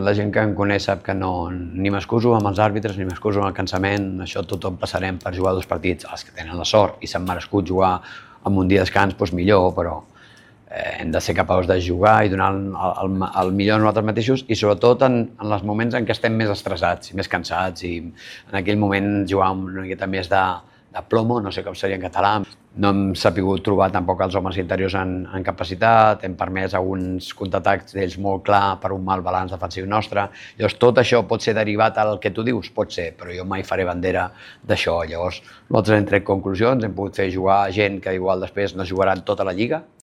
la gent que em coneix sap que no, ni m'excuso amb els àrbitres, ni m'excuso amb el cansament, això tothom passarem per jugar 2 partits, els que tenen la sort i s'han merescut jugar amb un dia de descans, doncs millor, però hem de ser capaços de jugar i donar el millor a nosaltres mateixos i sobretot en els moments en què estem més estressats i més cansats i en aquell moment jugar amb una miqueta més de plomo, no sé com seria en català. No hem sabut trobar tampoc els homes interiors en capacitat, hem permès alguns contraatacs d'ells molt clar per un mal balanç defensiu nostre. Llavors tot això pot ser derivat al que tu dius? Pot ser, però jo mai faré bandera d'això. Llavors nosaltres hem tret conclusions, hem pogut fer jugar gent que igual després no jugaran tota la lliga,